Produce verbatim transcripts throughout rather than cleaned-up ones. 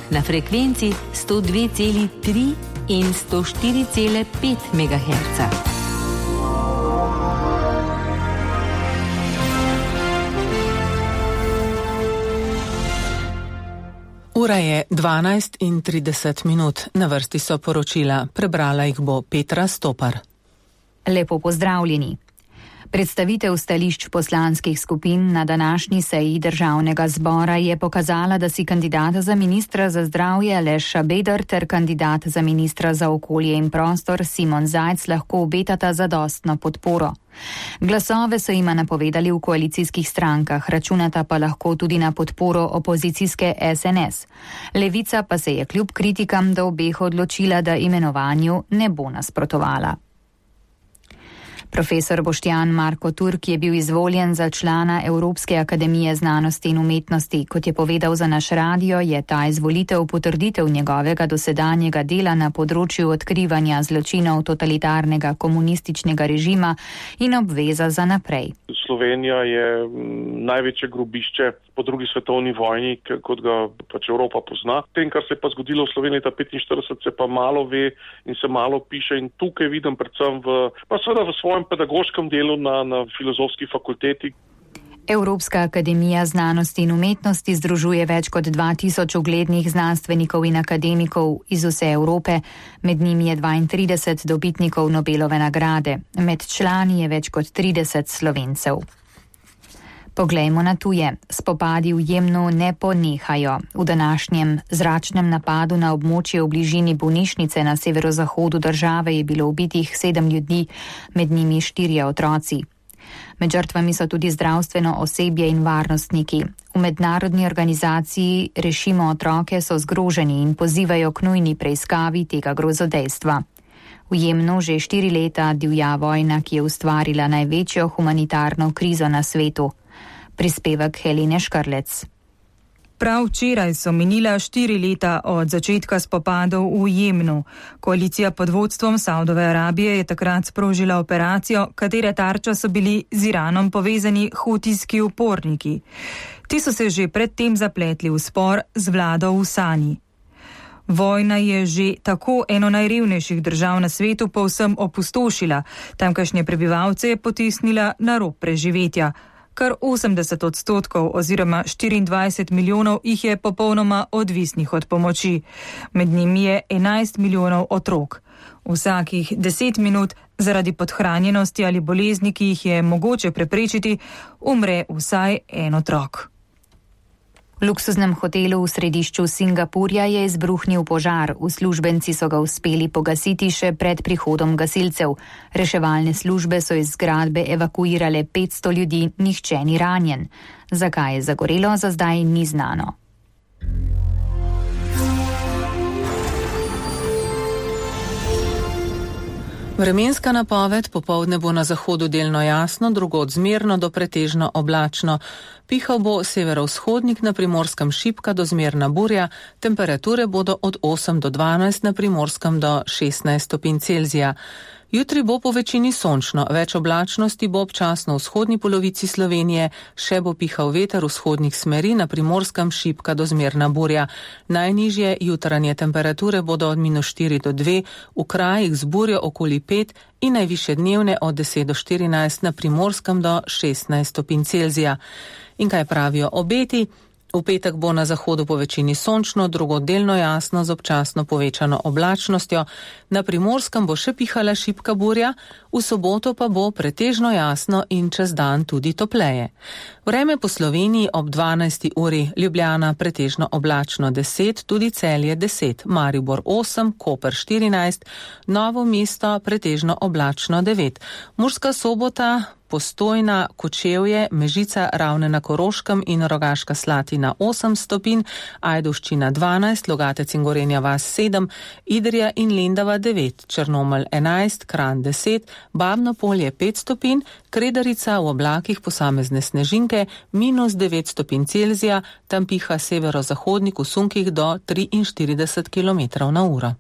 na frekvenci sto dve cela tri in sto štiri cela pet megaherca. Ura je dvanajst in trideset minut. Na vrsti so poročila. Prebrala jih bo Petra Stopar. Lepo pozdravljeni. Predstavitev stališč poslanskih skupin na današnji seji Državnega zbora je pokazala, da si kandidat za ministra za zdravje Aleš Šabeder ter kandidat za ministra za okolje in prostor Simon Zajc lahko obetata zadostno podporo. Glasove so jima napovedali v koalicijskih strankah, računata pa lahko tudi na podporo opozicijske es en es. Levica pa se je kljub kritikam do obeh odločila, da imenovanju ne bo nasprotovala. Profesor Boštjan Marko Turk je bil izvoljen za člana Evropske akademije znanosti in umetnosti. Kot je povedal za naš radio, je ta izvolitev potrditev njegovega dosedanjega dela na področju odkrivanja zločinov totalitarnega komunističnega režima in obveza za naprej. Slovenija je največje grobišče po drugi svetovni vojni, kot ga pač Evropa pozna. Tem, kar se je pa zgodilo v Sloveniji leta petinštirideset, se pa malo ve in se malo piše in tukaj vidim predvsem v, pa seveda v svojem pedagoškem delu na, na filozofski fakulteti. Evropska akademija znanosti in umetnosti združuje več kot dva tisoč uglednih znanstvenikov in akademikov iz vse Evrope, med njimi je dvaintrideset dobitnikov Nobelove nagrade, med člani je več kot trideset Slovencev. Poglejmo na tuje. Spopadi v Jemnu ne ponehajo. V današnjem zračnem napadu na območje v bližini bolnišnice na severozahodu države je bilo ubitih sedem ljudi, med njimi štirje otroci. Med žrtvami so tudi zdravstveno osebje in varnostniki. V mednarodni organizaciji Rešimo otroke so zgroženi in pozivajo k nujni preiskavi tega grozodejstva. V Jemnu že štiri leta divja vojna, ki je ustvarila največjo humanitarno krizo na svetu. Prispevek Helene Škrlec. Prav včeraj so minila štiri leta od začetka spopadov v Jemnu. Koalicija pod vodstvom Saudove Arabije je takrat sprožila operacijo, katere tarča so bili z Iranom povezani hutijski uporniki. Ti so se že predtem zapletli v spor z vlado v Sani. Vojna je že tako eno najrevnejših držav na svetu povsem opustošila. Tamkajšnje prebivalce je potisnila na rob preživetja. Kar osemdeset odstotkov oziroma štiriindvajset milijonov jih je popolnoma odvisnih od pomoči. Med njimi je enajst milijonov otrok. Vsakih deset minut zaradi podhranjenosti ali bolezni, ki jih je mogoče preprečiti, umre vsaj en otrok. V luksuznem hotelu v središču Singapurja je izbruhnil požar. Uslužbenci so ga uspeli pogasiti še pred prihodom gasilcev. Reševalne službe so iz zgradbe evakuirale petsto ljudi, nihče ni ranjen. Zakaj je zagorelo, za zdaj ni znano. Vremenska napoved: popoldne bo na zahodu delno jasno, drugod zmerno do pretežno oblačno. Pihal bo severovzhodnik, na Primorskem šibka do zmerna burja, temperature bodo od osem do dvanajst, na Primorskem do šestnajst stopinj Celzija. Jutri bo po večini sončno, več oblačnosti bo občasno v vzhodni polovici Slovenije, še bo pihal veter vzhodnih smeri, na Primorskem šibka do zmerna burja. Najnižje jutranje temperature bodo od minus štiri do dve, v krajih z burjo okoli pet in najvišje dnevne od deset do štirinajst, na Primorskem do šestnajst stopinj Celzija. In kaj pravijo obeti? V petek bo na zahodu po večini sončno, drugod delno jasno z občasno povečano oblačnostjo. Na Primorskem bo še pihala šibka burja, v soboto pa bo pretežno jasno in čez dan tudi topleje. Vreme po Sloveniji ob dvanajsti uri: Ljubljana pretežno oblačno deset, tudi Celje deset, Maribor osem, Koper štirinajst, Novo mesto pretežno oblačno devet, Murska Sobota, Postojna, Kočevje, Mežica, Ravne na Koroškem in Rogaška Slatina osem stopinj, Ajdovščina dvanajst, Logatec in Gorenja vas sedem, Idrija in Lendava devet, Črnomelj enajst, Kranj deset, Babno Polje pet stopinj, Kredarica v oblakih posamezne snežinke minus devet stopinj Celzija, tam piha severozahodnik v sunkih do triinštirideset kilometrov na uro.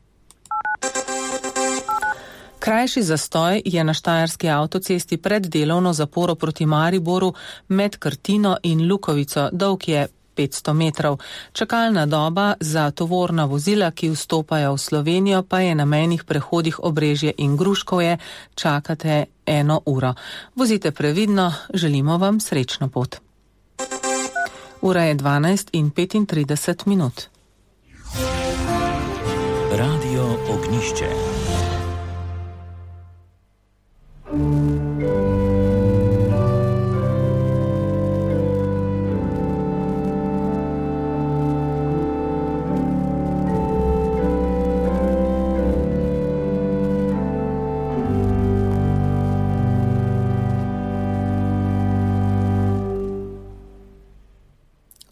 Krajši zastoj je na štajerski avtocesti pred delovno zaporo proti Mariboru med Krtino in Lukovico. Dolg je petsto metrov. Čakalna doba za tovorna vozila, ki vstopajo v Slovenijo, pa je na mejnih prehodih Obrežje in Gruškovje, čakate eno uro. Vozite previdno, želimo vam srečno pot. Ura je dvanajst in petintrideset minut. Radio Ognišče.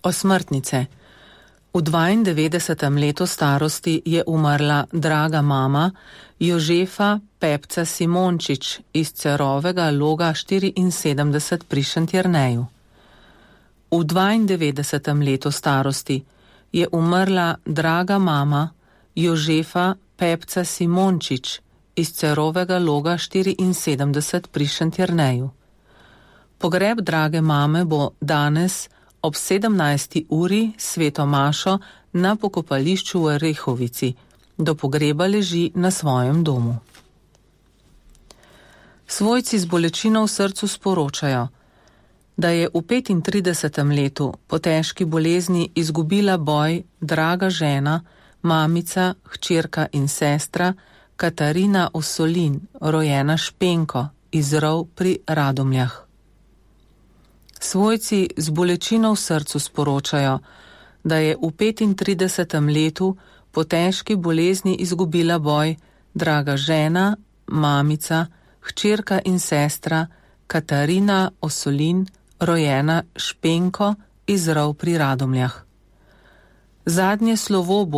Osmrtnice. V dvaindevetdesetem letu starosti je umrla draga mama Jožefa Pepca Simončič iz Cerovega Loga štiriinsedemdeset pri Šentjerneju. V dvaindevetdesetem letu starosti je umrla draga mama Jožefa Pepca Simončič iz Cerovega Loga štiriinsedemdeset pri Šentjerneju. Pogreb drage mame bo danes ob sedemnajsti uri sveto mašo na pokopališču v Rehovici. Do pogreba leži na svojem domu. Svojci z bolečino v srcu sporočajo, da je v petintridesetem letu po težki bolezni izgubila boj draga žena, mamica, hčerka in sestra Katarina Osolin, rojena Špenko iz Rov pri Radomljah. Svojci z bolečino v srcu sporočajo, da je v petintridesetem letu po težki bolezni izgubila boj draga žena, mamica, hčerka in sestra Katarina Osolin, rojena Špenko iz Rov pri Radomljah. Zadnje slovo bo